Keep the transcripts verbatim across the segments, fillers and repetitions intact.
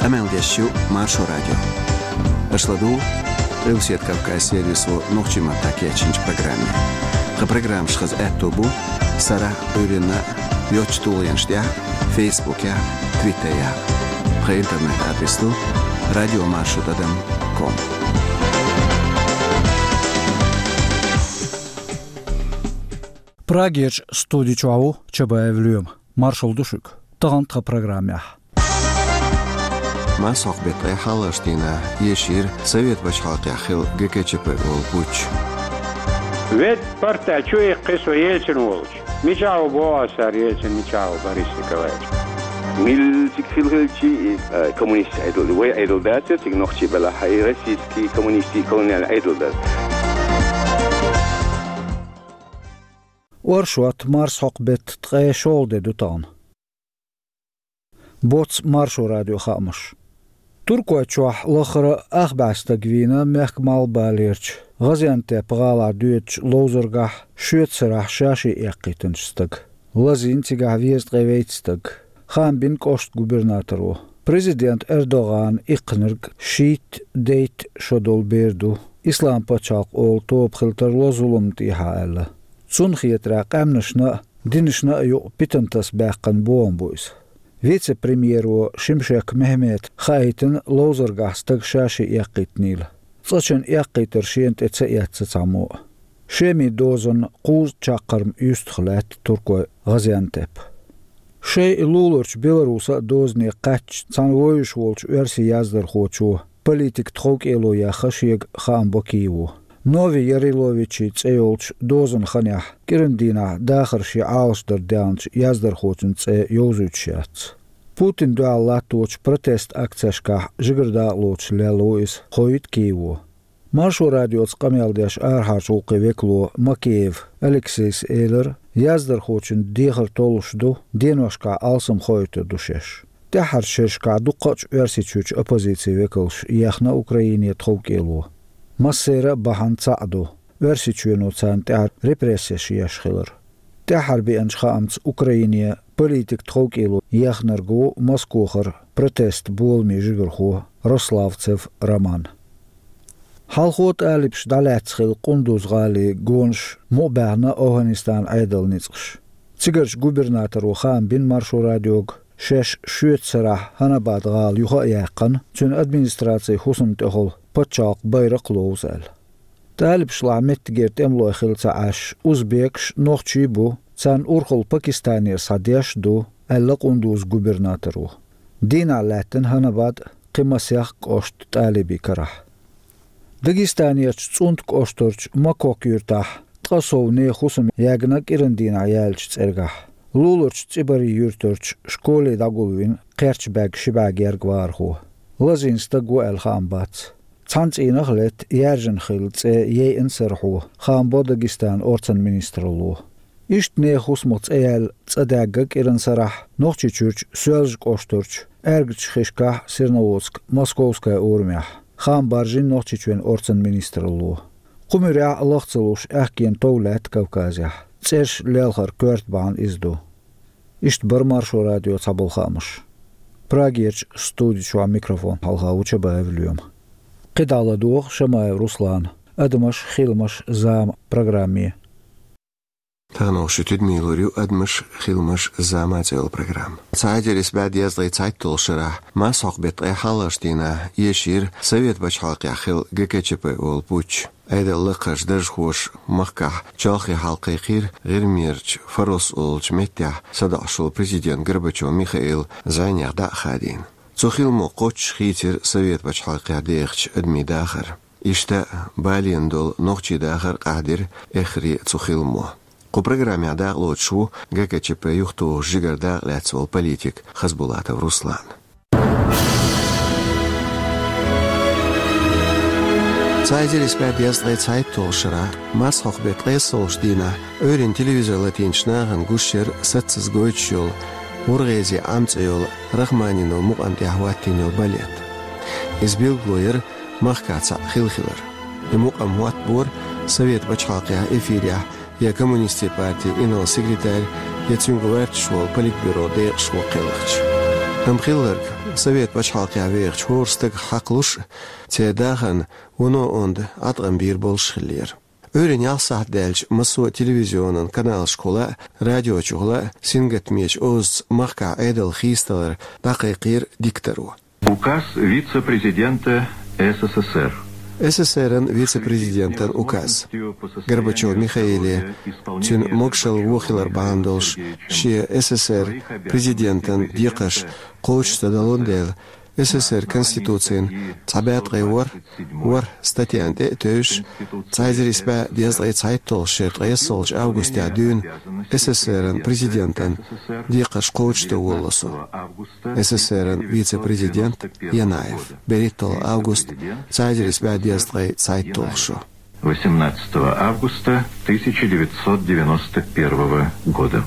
Къамел деш ю Маршо радио. Аша ладугӀу Къилбаседа Кавказ сервисо нохчийн маттахь кечйинчу программе. Тхан программаш хаза аьтто бу сарахь а, Ӏуьйранна а йоцчу тулгӀенаш тӀехь а, Фейсбукехь а, Твиттерехь а. Тхан интернет-адрес ду радиомаршо тӀадам ком. Прагерчу студи чохь ву Чабаев Лоьма. Маршалла ду шуьга. Тахана тхан программехь. Марсхьокху беттан ткъе хьалхарчу дийнахь эшийра Совет пачхьалкхехь хилла ГКЧП олу путч. Вед парта чу иккхи со Ельцин волчу. Мичахь ву боху аса цара Ельцин, мичахь ву Борис Николаевич? Мила цига хила хилчи, и, а, коммунистийн Ӏедал, вай Ӏедал дацара цига нохчий белахь, и российский коммунистийн колониальный Ӏедал дара. Оршот, марсхьокху беттан ткъе шолгӀа де ду тахана. Боцца Маршо радион хаамаш. Туркойчохь лаххара ах бӀе стаг вийна мехкан малхбалерчу ГӀазиантеп гӀалахь доьдучу ловзаргахь шоьтан сарахь ша-шен эккхийтинчу стага. Лазийна цигахь везткъе вейтта стаг. Хаам бина кӀоштан губернаторо. Президент Эрдогана иккхинарг шийтта-дейтта шо долу бер ду, Ислам-пачхьалкх олу тоба хила тарло зуламна тӀехьа аьлла. Цунна хетарехь, къаьмнашна а, динашна а юкъа питана таса баьккхина бохам бу иза. Вице-премьеро Шемшек Мехьмета хаийтина ловзаргахь стаг ша-шен эккхийтинийла. Цкъачунна эккхийтар шена тӀе ца эцна цхьаммо а. Шеман дозанна кхузткъа чаккхарма юьстах лаьтта туркойн ГӀазиантеп. Шайн луларчу Беларуса а дозане кхаьчча, цхьана вевзаш волчу оьрсийн яздархочо, политикан тховкӀело яьхна шега хаам бо Киево. Нови Яриловичийн цӀе йолчу дозанан ханехь кӀиран дийнахь дахар шен Ӏалашдарна даьхначу яздархочун цӀе йовзуьйтуш яц. Путинна дуьхьал латточу протестан акцешкахь жигара дакъалоцуш лелла ву иза, хоуьйту Киево. Маршо радиоца къамел деш арахьарчу гӀуллакхийн векало Макеев Алексейс элира, яздархочун дехар толлуш ду, деношкахь алсам хоуьйтур ду шаьш. ТӀаьххьарчу шерашкахь дуккхачу Оьрсийчуьрчу оппозицин векалша ехна Украине тховкӀело. Массеран а бахьана цхьаъ ду, Оьрсийчоьно царна тӀехь репрессеш еш хилар. ТӀаьххьара беанчу хаамца Украине политикан тховкӀело ехнарг ву Москохара протестан боламийн жигархо Рославцев Роман. Хьалхо тӀалибаша дӀалаьцна хилла Къундуз-гӀалин гонаш мукъабаьхна ОвхӀанистанан Ӏедалан ницкъаша. Цигарчу губернаторо хаам бина Маршо радиога, шаьш шоьтан сарахь Хьанабад-гӀала юха а яьккхина, цуьнан администрацин хӀусамна тӀехула пачхьалкхан байракх а ловза аьлла. ТӀалибашлахь меттигера тӀемалой хилла ца Ӏаш, узбекаш а, нохчий а бу, царна урхалла Пакистанера схьадеш а ду, аьлла Къундузан губернаторо. Дийнахь лаьттина Хьанабад а, кхин масех а кӀошт тӀалибийн карахь. Дагестанерчу ЦӀунтан кӀоштарчу Макок юьртахь ткъа сов нехан хӀусам ягна кӀиран дийнахь яьллачу цӀергахь. Луларчу ЦӀибарин юьртарчу школе дӀагулвина кхерч баьгна ши бӀе гергга вахархо. Лазийна стаг ву аьлла хаам бац. Цхьана цӀийнах а летта, яьржина хилла цӀе яйъина сарахьо, хаам бо Дагестанан орцан министралло. Иштта нехан хӀусамах цӀе яьлла цӀа даьгна кӀиран сарахь Нохчийчуьрчу Соьлжа-кӀоштарчу аьргачу хишкахь Серноводск-Московская урамехь, хаам баржийна Нохчийчоьнан орцан министралло. Кху муьрехь а лаха ца луш аьхкенан тов лаьтта Кавказехь. ЦӀераш лелхаран коьрта бахьана иза ду. Иштта бара Маршо радион цхьаболу хаамаш. Прагерчу студи чохь микрофон хьалха ву Чабаев Лоьма. КхидӀа ладогӀа Шамаев Руслана «Адамаш, хиламаш, зама» программе. Тахана шу тидаме лур ю «Адамаш, хиламаш, зама» цӀе йолу программа. Цхьа эзар исс бӀе дезткъе цхьайтталгӀачу шарахь, марсхьокху беттан ткъе хьалхарчу дийнахь, эшийра Совет пачхьалкхехь хилла ГКЧП олу путч. Ӏедалан лакхарчу даржхоша махкахь чолхе хьал кхайкхийра ГӀирмерчу Фарос олучу меттехь садоӀуш волу президент Горбачев Михаил зӀенех дӀа а хадийна. Цу хиламо кхоччуш хийцира Совет пачхьалкхехь дехачу адамийн дахар. Иштта балийна долу нохчийн дахар къахьдира эххар цу хиламо. Кху программехь дакъалоцуш ву ГКЧП юхатухуш жигара дакъа лаьцна волу политик Хасбулатов Руслан. Цхьа эзар исс бӀе дезткъе цхьайтталгӀачу шарахь, марсхьокху беттан ткъе исс долчу дийнахь, Ӏуьйранна телевизор латийначу нахана гуш яра саццаза гойтуш йолу «ГӀургӀезин Ӏам» цӀе йолу Рахманинов мукъам тӀехь хӀоттийна йолу балет. Иза билгало яра махкахь цхьаъ хилла хилар. И мукъам хӀоттабора Совет пачхьалкхехь эфирехь я коммунистийн партин инарла секретарь, я цуьнга гӀоьрташ волу политбюро декъашхо кхелхича. Амма хилларг Совет пачхьалкхехь вехачу хӀора стага хьакхалуш а, церан дахарна вуно онда Ӏаткъам бийр болуш хиллера. Ӏуьйранна ялх сахьт даьлча массо а телевизионан каналашкахула а, радиочухула а сингаттамечу озаца махкахь Ӏедал хийцадалар дӀакхайкхийра дикторо. Указ вице-президента СССР. СССР-ан вице-президентан указ. Горбачев Михаиле, цуьнан могушалла вон хилар бахьана долуш, шен СССР президентан декхарш кхочуш ца далун дела, СССР Конституцин цхьа бӀе ткъе ворхӀ, ворхӀ статьяна тӀе а тевжаш, цхьа эзар исс бӀе дезткъе цхьайтталгӀачу шеран ткъайоьссалгӀачу августехь дуьйна СССР-ан президентан декхарш кхочушдан волало со. СССР-ан вице-президент Янаев. БерхӀитталгӀа август, цхьа эзар исс бӀе дезткъе цхьайтталгӀа шо. Восемнадцатого августа тысяча девятьсот девяносто первого года.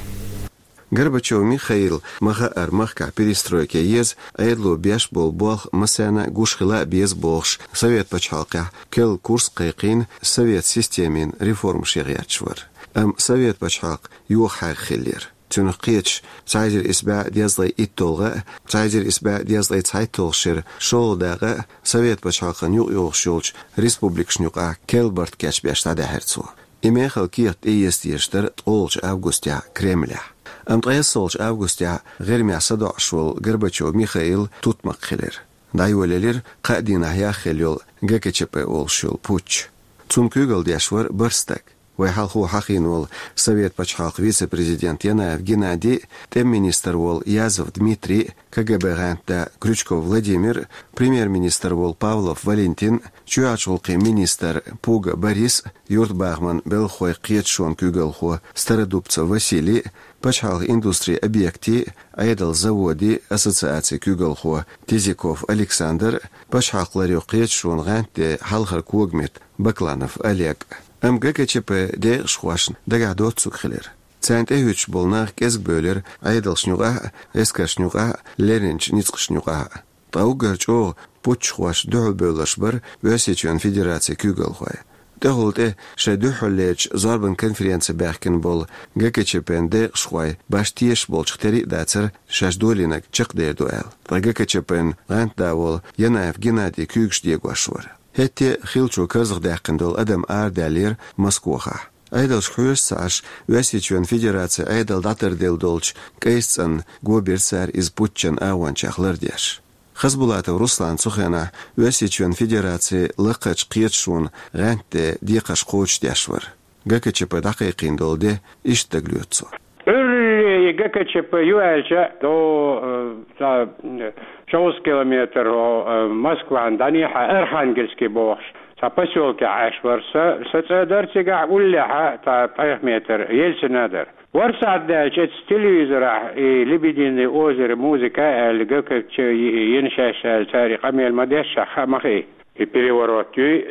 Горбачев Михаила ма-хаъара, махкахь перестройка еза, Ӏедало беш болу болх массарна а гуш хила а беза бохуш, Совет пачхьалкхехь керла курс а кхайкхийна, совет системин реформаш ян гӀерташ вара. Амма Совет пачхьалкх йохахьаьрга хиллера. Цунах кхеташ, цхьа эзар исс бӀе дезткъе итталгӀа а, цхьа эзар исс бӀе дезткъе цхьайтталгӀачу шеран шолгӀа дакъа а Совет пачхьалкхан юкъайогӀуш йолчу республикашна юкъахь керла барт кечбеш дӀадаьхьира цо. И мехала кехат тӀеэца дезаш дара ткъолгӀачу августехь Кремлехь. Амма ткъайоьссалгӀачу августехь ГӀирмехь садоӀуш волу Горбачев Михаил тутмакх хилира. ДӀайолаелира кхаа дийнахь яхъелла йолу ГКЧП олуш йолу путч. Цунна куьйгалла деш вара бархӀ стаг. Вай хьалхо хьахийна волу Совет пачхьалкхан вице-президент Янаев Геннадий, тӀеман министр волу Язов Дмитрий, КГБ гӀантда Крючков Владимир, премьер-министр волу Павлов Валентин, чоьхьарчу гӀуллакхийн министр Пуга Борис, юьртабахаман белхахойн кхеташонан куьйгалхо Стародубцев Василий, пачхьалкхан индустрин объектийн, Ӏедалан заводийн ассоциацин куьйгалхо Тизиков Александр, пачхьалкхан ларъяран кхеташонан гӀантден хьалхара когаметта Бакланов Олег. Амма ГКЧП-н декъашхошна дагахь доцург хилира. Царна тӀехӀуьттуш болу нах кӀезиг бевлира Ӏедалшна юкъахь а, эскаршна юкъахь а, леринчу ницкъашна юкъахь а. Ткъа уггар чӀогӀа путчхоша дуьхьалбевлларш бара Оьрсийчоьнан Федерацин куьйгалхой. ТӀехула тӀе шайн дуьххьарлерчу зорбан конференци баьхкина болу ГКЧП-н декъашхой башха тешаш болчух тера а дацара шаьш долийнарг чекхдер ду аьлла. Ткъа ГКЧП-н гӀантда волу Янаев Геннадий куьйгаш дегош вара. ХӀетте а хиллачо карзахдаьккхина долу адам арадаьллера Москвахахь. Ӏедалшка хьоьжуш ца Ӏаш, Оьрсийчоьнан Федерацин Ӏедал дӀатарделла долчу кӀайса цӀанна го бира цара иза путчан агӀончех лардеш. Хасбулатов Руслана цу хенахь Оьрсийчоьнан Федерацин лакхарчу кхеташонан гӀантден декхарш кхочушдеш вара. ГКЧП дӀакхайкхийна долу де иштта дагалоьцу цо. Ӏуьйре и ГКЧП ю аьлча, до, э, ца, э, шовзткъа километр, о, э, Москван дӀанехьа Архангельский бохуш, цхьа посёлкехь Ӏаш вара сан, сан цӀа дара цигахь, уллехьа, цхьа пхьех метр Ельцина дара. ВорхӀ сахьт даьлча, эцу телевизорахь и «Лебединое озеро» музыка аьлла, ГКЧП йина шаьш аьлла, цара и къамел ма-дешшехь, хаа ма хии. И переворот юй,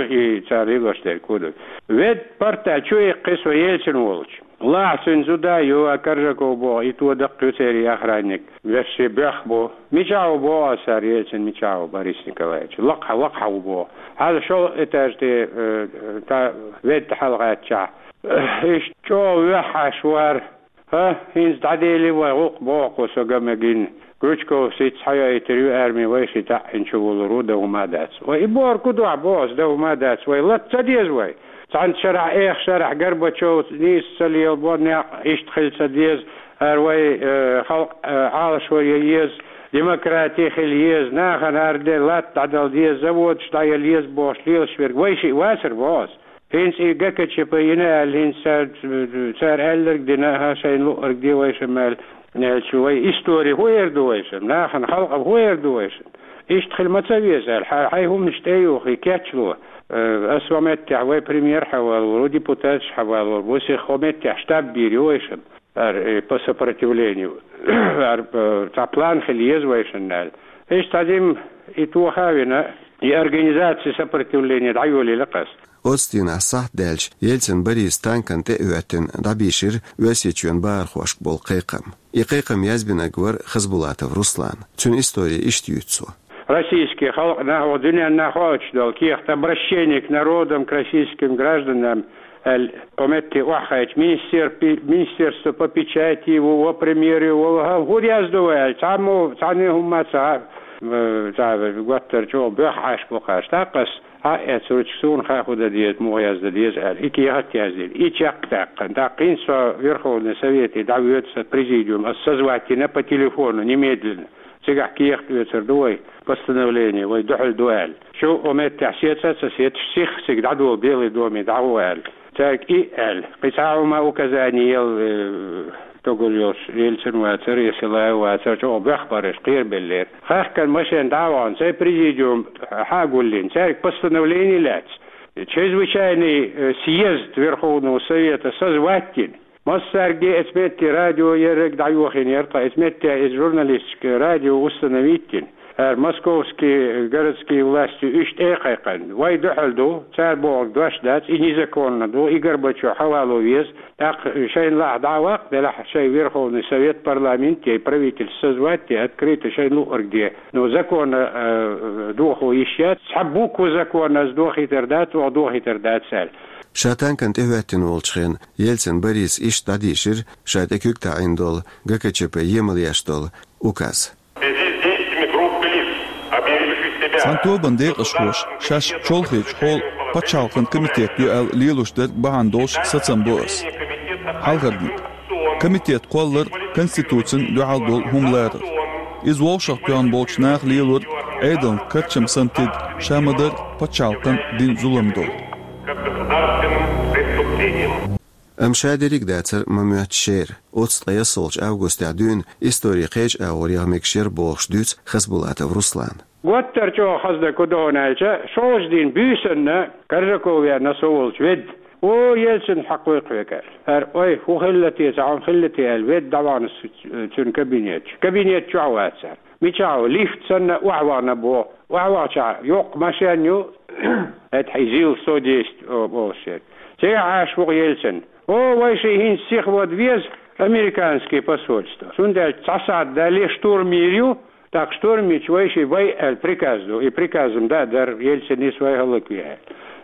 и цара лелош дерг хӀун ду. Ведда парта чу иккхи со Ельцин волчу. Лахьа цуьнан зуда ю, а Коржаков боху, и то даккха ю церан охранник. Вешший боьх бу. Мичахь ву боху аса цара, Ельцин мичахь ву, Борис Николаевич? Лакхахь, лакхахь ву боху. Хьала шолгӀа этаж тӀе, э, та ведда хьалагӀаьттачахь. Иштта чӀогӀа вехьаш вара. ХӀа, хӀинца дӀадели вай гӀуллакх боху со ган мегина. Крючковс хӀинца схьайойтур ю арми, вай ши таӀ хӀинца чу вулур ву, дан хӀума дац. Вай и бохург хӀун ду ахь боху ас, дан хӀума дац. Вай лата ца деза вай. Цхьана шарахь, эха шарахь Горбачев нийса ца лелабо, некъ иштта хила ца деза. Ара вай, э, халкъ, э, Ӏалашо ян еза, демократи хила еза, нахана ара де латта дӀадала деза, заводаш дӀаяла еза бохуш лелаш верг вай шиъ вацара боху ас. ХӀинца и ГКЧП йина аьлла, хӀинца цара, цара аьлларг дина, хӀа, шайна луъург де вайшимма аьлла, аьлча, вай истори хӀун эр ду вайшимма? Нахана халкъана хӀун эр ду вайшимма? Иштта хила ма ца веза аьлла, хьайн, хьайн хӀуманаш тӀеюхий, кечвало. Э, ас хӀокху меттехь вай премьер хьавалор ву, депутаташ хьавалор ву, вай сих хӀокху меттехь штаб бийр ю вайшимма. Ара, э, по сопротивлению. Ара, э, цхьа план хила еза вайшинна аьлла. Иштта цхьа дим и тоха а вина, и организация сопротивления дӀайолийла ас. Оцу дийнахь сахьт даьлча Ельцин Борис танкана тӀе а хӀоьттина дӀабийшира Оьрсийчоьнан бахархошка болу кхайкхам. И кхайкхам язбинарг вара Хасбулатов Руслан. Цуьнан истори иштта юьйцу цо. Российский халкъ нах, дуьненна нах хоуьйтуш долу кехат «Обращение к народам, к российским гражданам», аьлла, кхо метте охьахайча, министер-, пи-, министерство по печати, во, во премьере, во, во, хӀу-, хӀур яздо вай аьлла, цхьаммо, цхьанне хӀумма ца, э, ца, готтар чӀо бехь Ӏаш бу кхаш. ТӀаккха ас хьа а эцурча, суна хаа хӀу дан деза, муха яздан деза аьлла, и кехат яздина, и чекх даьккхина. ТӀаккха хӀинца со Верховный Совете дӀавоьду, сан президиум, ас созвать йина по телефону немедленно. Цигахь кехат оьцур ду вай, постановление вай дуьхьал ду аьлла. Шу о меттехь сецад, ца сецаш, сиха цига дӀадола Белый доме дӀагӀо аьлла. Цаьрга и аьлла. Кхин цхьа хӀума указание яла, э, тогур йолуш, Ельцин вацара, я Силаев вацара, чӀогӀа бехбараш кхерабеллера. Хаьхкина машен дӀа а вахана, цай президиум хьагуллина, цаьрга постановление лаьцна. Чрезвычайный, э, съезд Верховного Совета созвать йина. Массаьрга эцу метте радио ерриг дӀайохийна яра, ткъа эцу метте иза журналистика радио установить йина. ХӀара московский городские власти уьш тӀе а кхайкхина. Вай дуьхьал ду, цара бохург дош дац, и незаконно ду, и Горбачёв хьавало веза. ТӀаккха шайна лахь дӀа а ваккха, делахь шайн Верховный Совет, парламент, я правительство созвать де, открыто шайна луъург де. Ну, законно, э, дохо йиш яц, цхьа буква законно ас дохийтар дац, оха дохийтар дац аьлла. Ша танкана тӀехӀоьттина волчу хенахь Ельцин Бориса иштта дӀадийшира ша тӀе куьг таӀийна долу ГКЧП емал еш долу указ. В связи с действиями группы лиц, объявивших себя... Цхьана тобанан декъашхоша шаьш чолхечу хьолан пачхьалкхан комитет ю аьлла лелош дерг бахьана долуш сацам бо ас. Хьалхарниг. Комитет кхоллар конституцина дуьхьал долу хӀума ларар. Иза вовшахтоьхна болчу наха лелор Ӏедална карчам санна тида, ша ма-дарра пачхьалкхан дина зулам долу. Как государственным преступлением. Амма ша дерриг а дацара ма-моьтту шера. Оццу ткъе ялсолчу августехь дуьйна историн кхечу агӀор яха мегаш яра бохуш дуьйцу Хасбулатов Руслана. Готтар чӀогӀа хаза дерг хӀун ду хьуна аьлча, шолгӀачу дийнан буьйсанна Коржаков веана со волчу ведда. О, Ельцин хьакхойкху хьоьга аьлла. ХӀара, ой, хӀун хилла те, цхьа хӀума хилла те аьлла, ведда дӀавахана цуьнан кабинет чу. Кабинет чохь вацара. Мичахь ву, лифт санна охьавахана боху. Охьавахчахь йоккха машен ю, это и ЗИЛ сто десять, о, боху шен. Цигахь Ӏаш ву Ельцин. О, вайшиъ хӀинца сиха вада веза американский посольство. Цундела цхьа сахьт дале штурм йийр ю, тӀаккха штурм йича вайшиъ вай аьлла приказ ду. И приказам да а дара, Ельцин нис вай хӀаллакве аьлла.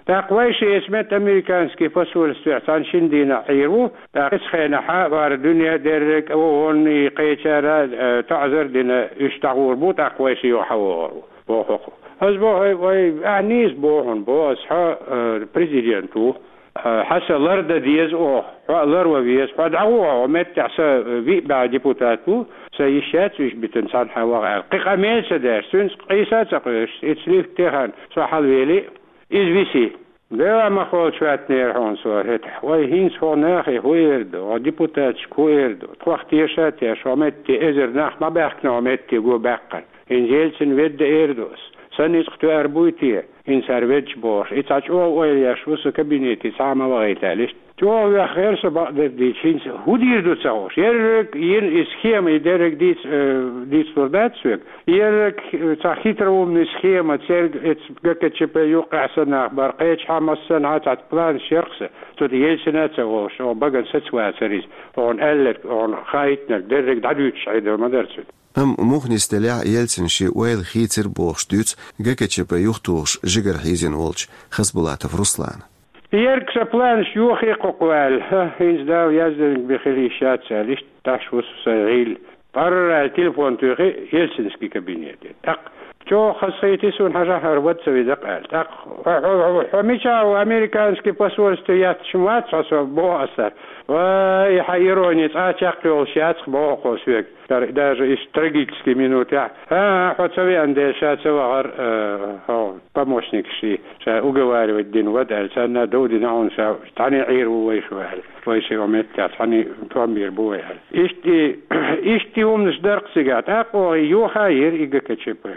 ТӀаккха вайшиъ эцу метта американский посольствехь цхьана шина дийнахь Ӏийр ву, тӀаккха эцу хенахь хӀара дуьне дерриг а, вон и кхечара, э, таӀзар а дина, уьш дӀагӀур бу, тӀаккха вайшиъ юха хьавогӀур ву, боху хӀокхо. Ас боху, вай, ахьа нийса боху хьуна, боху ас, хьо, э, президент ву, э, хьан сан лардан деза оха, хьо а ларван веза, хьо дӀагӀо хьо меттехь, сан, э, виъ бӀе депутат ву, сан йиш яц уьш битина цхьанхьа ваха аьлла. Кхин къамел а ца деш, цуьнца къийса а ца къоьшуш, эцу лифте хан со хьалавели, иза виси. Дела ма холчу хӀоьттинера хьуна со хӀетахь. Вай, хӀинца хӀокху нахе хӀун эр ду, хӀокху депутаташка хӀун эр ду? Тхох теша а тешна, хӀокху метте эзар нах ма баьхкина хӀокху метте го баьккхина. ХӀинца Ельцин ведда эр ду ас. Сан ницкъ тоьар буй те, хӀинца хӀара веддаш бохуш? И цхьа чӀогӀа ойла еш ву со кабинете цхьа а ма вахийта аьлла иштта. ЧӀогӀа веххера со бакъдерг дийцича, хӀинца хӀун дийр ду ца хууш. Ерриг йина и схема, и дерриг дийца, э, дийцалур дац соьга. Ерриг, э, цхьа хитроумный схема, церга эцу ГКЧП юккъехь санна нах бара, кхечахьа массанхьа цхьа планаш яра-кх сан. Цу тӀе Ельцина а ца волуш, оха багана саца вацара иза. Оха аьлларг, оха хаийтинарг дерриг дӀадуьйцуш Ӏедал ма дара цуьнан. Амма муха нисделехь а Ельцина шен ойла хийцира бохуш дуьйцу ГКЧП юхатухуш жигара хьийзина волчу Хасбулатов Руслана. Ерг сан планаш йохий кху кху аьлла, хӀа, хӀинца Дала яздинарг бен хила йиш яц аьлла, иштта тӀаш ву со сайн гӀийла. Парра аьлла телефон туьйхи Ельцинский кабинете. ТӀаккха чӀогӀа хазахийти суна, хьажахьара вада ца веза-кх аьлла. ТӀаккха хьо, хьо, хьо, хьо мичахь ву, американский посольство етташ ма вац хьо со, боху ас цара. Вай, хьан ирони цкъа а чекхйолуш яц-кх, боху-кх оха соьга. Даже иштта трагический минутехь. ХӀан, хьо ца веана дела, ша ца вахара, э, хьо помощникаш ши, ша уговаривать дина вада аьлла, царна дов дина хьуна, ша цхьаьна Ӏийр ву вайша аьлла. Вайша оха меттехь цхьаьна тӀом бийр бу вай аьлла. Иштта и, иштта и хӀуманаш дара-кх цигахь. ТӀаккха оха и юха а йира и ГКЧП.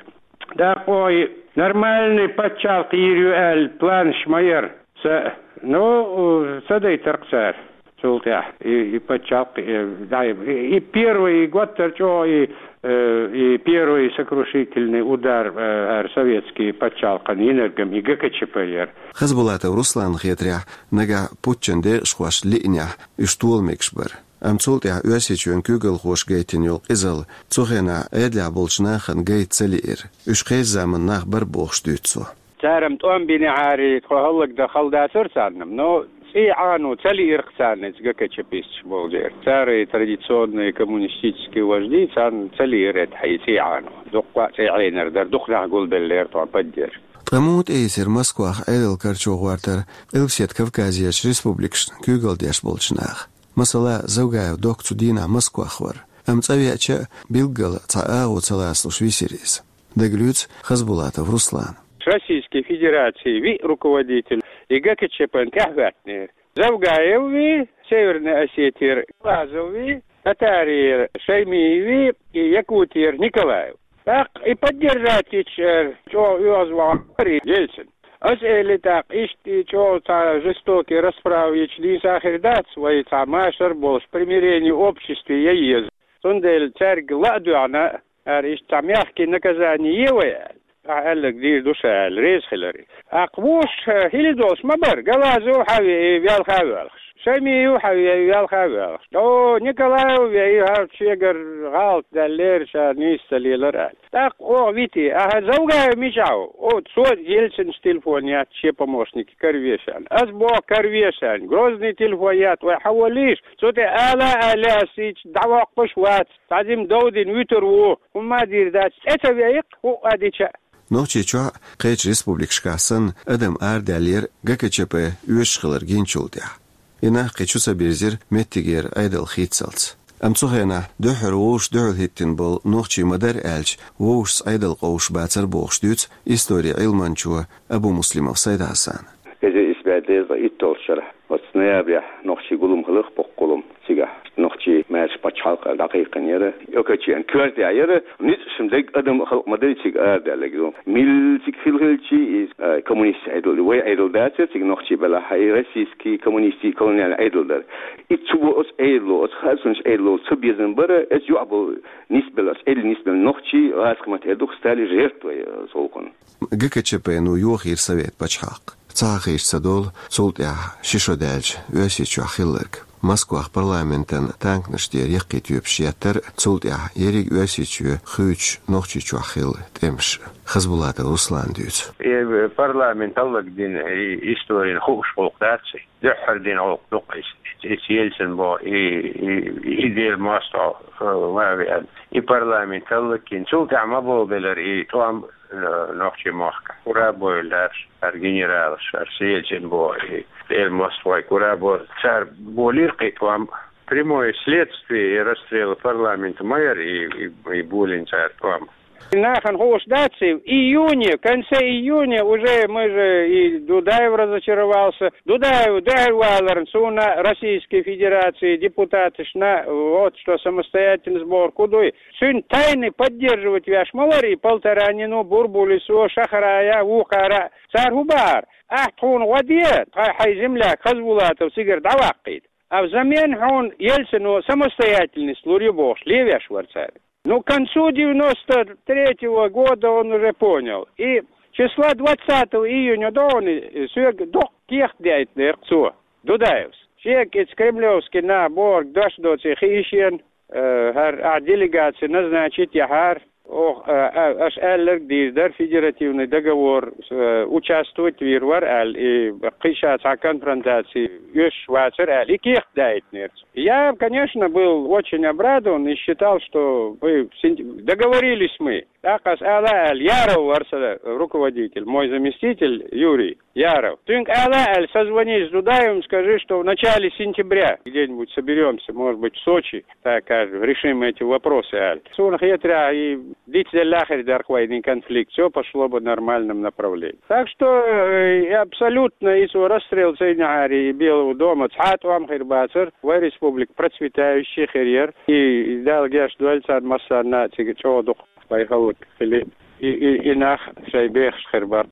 ТӀаккха оха и нормальный пачхьалкх йийр ю аьлла планаш ма яра. Ца, ну, ца дайтар-кх цара. Цул тӀаьхьа и, и пачхьалкх, и, да, и, и первый, и готтар чӀогӀа, и, э, и первый сокрушительный удар, э, хӀара советский пачхьалкхан йинарг-м и ГКЧП яра. Хасбулатов Русланна хетарехь, нагахь путчан декъашхоша лиънехь, уьш тола мегаш бара. Амма цул тӀаьхьа Оьрсийчоьнан куьйгалхоша гайтина йолу къизалла цу хенахь Ӏедалехь болчу нахана гайта ца лиира. Уьш кхечу заманан нах бара бохуш дуьйцу цо. Цара-м тӀом бинехьара, тхо хӀаллакдан хала дацара царна-м, но ЦӀий Ӏано ца лиира царна, ГКЧП-сташ болчеран. Церан традиционные коммунистические вожди, царна ца лиира тӀехьа цӀий Ӏано. Дуккха а цӀий Ӏенар дара, дукха нах гулбеллера тхона поддержка. Ткъа муха тӀеийцира Москвах Ӏедал карчо гӀортар Къилбаседа Кавказерчу республикашна куьйгалла деш болчу наха? Масала, Завгаев Докка цу дийнахь Москвах вара, амма цӀа веача а, билггала цхьа агӀо ца лацалуш висира иза. Дагалуьйцу Хасбулатов Руслана. Российской Федерации виъ руководитель и ГКЧП-н тӀаьхьахӀоьттинера. Завгаев вий, Северной Осетера Галазов вий, Татарера Шаймиев вий, и Якутера Николаев. ТӀаккха и поддержать йича, э, чӀогӀа оьгӀазвахар и Ельцин. Ас элира тӀаккха, иштта и чӀогӀа цхьа жестокий расправа йича нийса хир дац, вай цхьа машар а болуш, примирение обществе ян еза. Цундела цаьрга ла а доьгӀна, ара иштта цхьа мягкий наказание е вай аьлла. Ахьа аьлларг дийр ду ша аьлла, реза хилар. ТӀаккха вуьш, э, хила долуш ма бара, Галазов хьан веа, и велха а воьлхуш. Шаймиев хьан веа, и велха а воьлхуш. О, Николаев веа, и хӀара шегара гӀалат даьллера, ша нийса ца лелара аьлла. ТӀаккха оха вити, ахьа Завгаев мичахь ву? О, цо Ельцинца телефон етта шен помощнике караве шена. Ас боху караве шена, Грозный телефон етта, вай хьан воллийша? Цу тӀе ала а аьлла, ас хӀинца дӀавоккхуш а вац. Цхьа зима дов дина вуьтур ву, хӀумма а дийр дац, цӀе ца веа-кх, хӀуъа а дича а. Нохчийчохь а, кхечу республикашкахь санна, адам арадаьллера ГКЧП оьшуш хилар гиначул тӀаьхьа. И нах кхин чу ца бирзира меттигера Ӏедал хийцалц. Амма цу хенахь дуьххьара вовшашца дуьхьал хӀиттина болу нохчий ма-дарра аьлча, вовшашца Ӏедал къовсуш бацара бохуш дуьйцу историн Ӏилманчо Абумуслимов Сайд-Хьасана. Эзар исс бӀе дезткъе итталгӀачу шарахь, оцу ноябрехь нохчийн гулам хилира, боккха гулам. Цигахь нохчий маьрша пачхьалкх дӀакхайкхинера. Окачен коьртехь яра, ницкъашна дерг адам а халкъ ма-дарра цига арадаьлларг ду. Милла цига хилла хилча, иза, а, коммунистийн Ӏедал, вай Ӏедал дацара цига нохчий белахь, и российский коммунистийн колониальный Ӏедал дара. И цу бо оцу Ӏедало, оцу харцонаш Ӏедало ца безам бара, оцу юкъахь болу нисбелла, оцу Ӏедалан нисбелла нохчий, гӀазкхийн маттахь эр ду-кх, стали жертвой, э, цу гӀуллакхна. ГКЧП-но йохийра совет пачхьалкх. Ца хьахийча ца долу, цул тӀаьхьа ши шо даьлча Оьрсийчохь хилларг. Москвахь парламентан танканаш тӀера яккхий тоьпаш еттара, цул тӀаьхьа ерриг Оьрсийчоь хуьйцуш Нохчийчохь хилла тӀемаш. Хасбулатов Руслана дуьйцу. И парламент хӀаллакдина, и историн хууш гӀуллакх дац и. Дуьххьара дина гӀуллакх ду-кх иза. Иза Ельцин боху, и, и, и Делан мостагӀа, э, ма веана. И парламент хӀаллакйина. Цул тӀаьхьа ма болабелира и тӀом, э, нохчийн махкахь. Кура бовла дара, хӀара генералаш, хӀара Ельцин боху, и Делан мостагӀий кура бо-, цара болийра кхин тӀом. Прямое следствие и расстрела парламента ма яра и, и, и болийна цара тӀом. Нахана хууш дац и, в июне, в конце июня уже мы же, и Дудаев разочаровался. Дудаев дуьхьал валарна, суна Российской Федерации депутаташна, вот что самостоятельный сбор куй ду. Цуьнан тайны поддерживать веш ма вара и Полторанин, Бурбулис, Шахраев, вукхара. Цара хӀун бахара? Ахь тхуна гӀо де, тхо хьайн земляк Хасбулатов цигара дӀаваккхийта. А взамен хьуна Ельцино самостоятельность лур ю бохуш, левеш вара цара. Ну, к концу девяносто третьего года он уже понял. И числа двадцатого июня догӀуна соьга доккха кехат даийтинера цо, Дудаевс. Шега иза кремлевский нах бохург дош доций хии шена, э, хӀара ахь делегаци назначить яхьара, оха, э, э, аша аьлларг дийр дара, федеративный договор, э, участвовать вийр вара аьлла, и кхин ша цхьа конфронтаци оьшуш вацара аьлла, и кехат даийтинера цо. Я, конечно, был очень обрадован и считал, что мы в сентя-, договорились мы. ТӀаккха аса ала аьлла, Яров вара сан руководитель, мой заместитель Юрий Яров. Цуьнга ала аьлла, созвонись с Дудаевым, скажи, что в начале сентября где-нибудь соберёмся, может быть, в Сочи, так скажем, решим эти вопросы аьлла. Суна хетарехь, и дицделла хир дара-кх вайна и конфликт, всё пошло бы в нормальном направлении. Так что, э, и абсолютно и цо расстрел ца йинехьара и Белого дома цхьа а тӀом хир бацара, вай республика процветающая хир яра, и Дала гечдойла царна массарна а цига чӀогӀа дукха вай хӀаллакьхили, и, и, и нах шайн бехаш хир бара.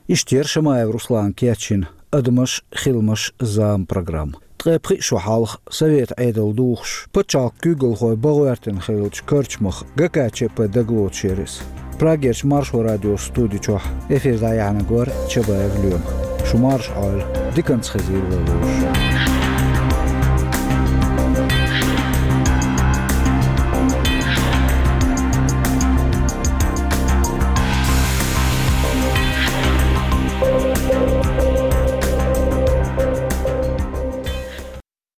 Иштта яра Шамаев Руслана кечйина «Адамаш, хиламаш, зама» программа. Ткъе пхи шо хьалха, совет Ӏедал духуш, пачхьалкхан куьйгалхой бан гӀоьртина хиллачу карчамах ГКЧП дагалоцуш яра иза. Прагерчу Маршо радион студи чохь эфир дӀаяьхьнарг вара Чабаев Лоьма. Шу марша Ӏойла, диканца хезийла вай вовшашка.